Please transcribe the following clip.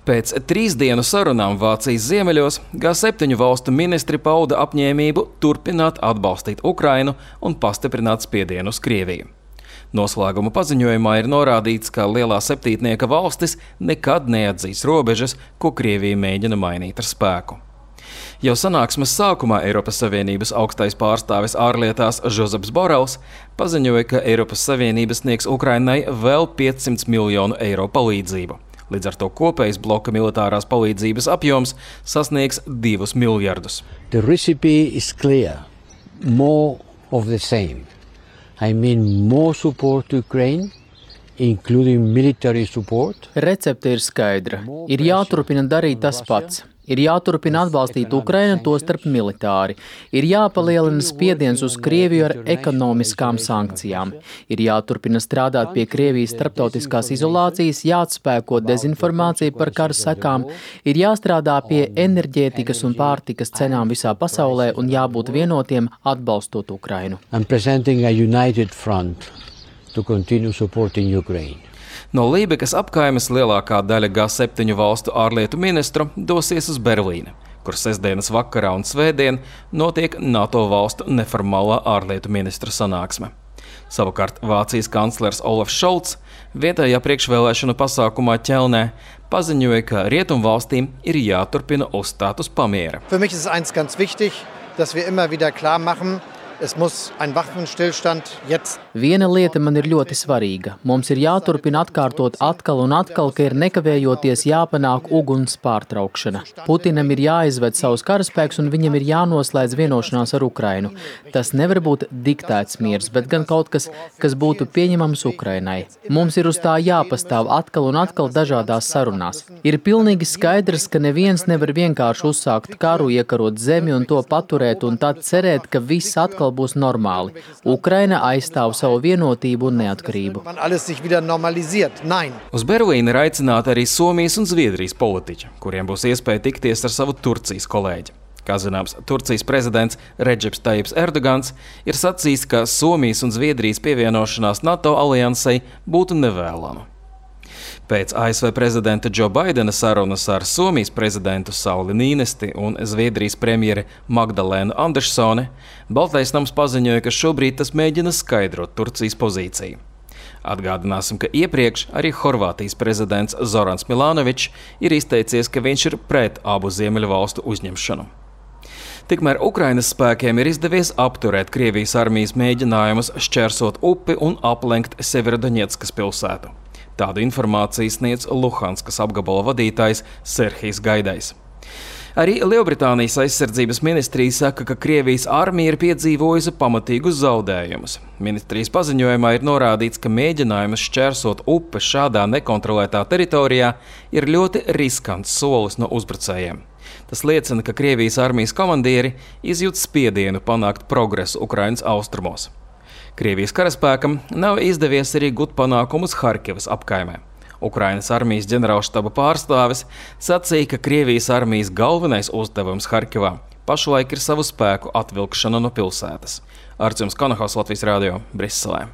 Pēc 3 dienu sarunām Vācijas ziemeļos G7 valstu ministri pauda apņēmību turpināt atbalstīt Ukrainu un pastiprināt spiedienu uz Krieviju. Noslēguma paziņojumā ir norādīts, ka lielā septītnieka valstis nekad neatzīs robežas, ko Krievija mēģina mainīt ar spēku. Jau sanāksmes sākumā Eiropas Savienības augstais pārstāvis ārlietās Žozeps Borels paziņoja, ka Eiropas Savienība sniegs Ukrainai vēl 500 miljonu eiro palīdzību. Līdz ar to kopējs bloka militārās palīdzības apjoms sasniegs 2 miljardus. The recipe is clear. More of the same. I mean more support to Ukraine, including military support. Recepte ir skaidra. Ir jāturpina darīt tas pats. Ir jāturpina atbalstīt Ukrainu, tostarp militāri. Ir jāpalielina spiediens uz Krieviju ar ekonomiskām sankcijām. Ir jāturpina strādāt pie Krievijas starptautiskās izolācijas, jāatspēko dezinformācija par kara sekām, ir jāstrādā pie enerģētikas un pārtikas cenām visā pasaulē un jābūt vienotiem atbalstot Ukrainu. I'm presenting a united front to continue supporting Ukraine. No Lībekas apkaimes lielākā daļa G7 valstu ārlietu ministru dosies uz Berlīni, kur sestdienas vakarā un svētdien notiek NATO valstu neformālā ārlietu ministru sanāksme. Savukārt Vācijas kanclers Olafs Šolts vietējā priekšvēlēšanu pasākumā Ķelnē paziņoja, ka rietumvalstīm ir jāturpina uzstāt uz pamiera. Für mich ist eins ganz wichtig, dass wir immer wieder klar machen, es muss ein Waffenstillstand jetzt. Viena lieta man ir ļoti svarīga. Mums ir jāturpina atkārtot atkal un atkal, ka ir nekavējoties jāpanāk uguns pārtraukšana. Putinam ir jāizved savus karaspēkus un viņam ir jānoslēdz vienošanās ar Ukrainu. Tas nevar būt diktēts miers, bet gan kaut kas, kas būtu pieņemams Ukrainai. Mums ir uz tā jāpastāv atkal un atkal dažādās sarunās. Ir pilnīgi skaidrs, ka neviens nevar vienkārši uzsākt karu, iekarot zemi un to paturēt un tad cerēt, ka viss atkal būs normāli. Ukraina aizstāv savu vienotību un neatkarību. Uz Berlīni ir aicināti arī Somijas un Zviedrijas politiķi, kuriem būs iespēja tikties ar savu Turcijas kolēģi. Kā zināms, Turcijas prezidents Redžeps Tajips Erdogans ir sacījis, ka Somijas un Zviedrijas pievienošanās NATO aliansei būtu nevēlama. Pēc ASV prezidenta Džo Baidena sarunas ar Somijas prezidentu Sauli Nīnesti un Zviedrijas premjeri Magdalēnu Andersone, Baltais nams paziņoja, ka šobrīd tas mēģina skaidrot Turcijas pozīciju. Atgādināsim, ka iepriekš arī Horvātijas prezidents Zorans Milanovičs ir izteicies, ka viņš ir pret abu ziemeļu valstu uzņemšanu. Tikmēr Ukrainas spēkiem ir izdevies apturēt Krievijas armijas mēģinājumus šķērsot upi un aplenkt Severodoņetskas pilsētu. Tādu informāciju sniedz Luhanskas apgabala vadītājs Serhijs Gaidais. Arī Lielbritānijas aizsardzības ministrija saka, ka Krievijas armija ir piedzīvojusi pamatīgus zaudējumus. Ministrijas paziņojumā ir norādīts, ka mēģinājums šķērsot upi šādā nekontrolētā teritorijā ir ļoti riskants solis no uzbrucējiem. Tas liecina, ka Krievijas armijas komandieri izjūt spiedienu panākt progresu Ukrainas austrumos. Krievijas karaspēkam nav izdevies arī gūt panākumus Harkivas apkaimē. Ukrainas armijas ģenerālštaba pārstāvis sacīja, ka Krievijas armijas galvenais uzdevums Harkivā pašlaik ir savu spēku atvilkšana no pilsētas. Artjums Konohaus, Latvijas radio, Briselē.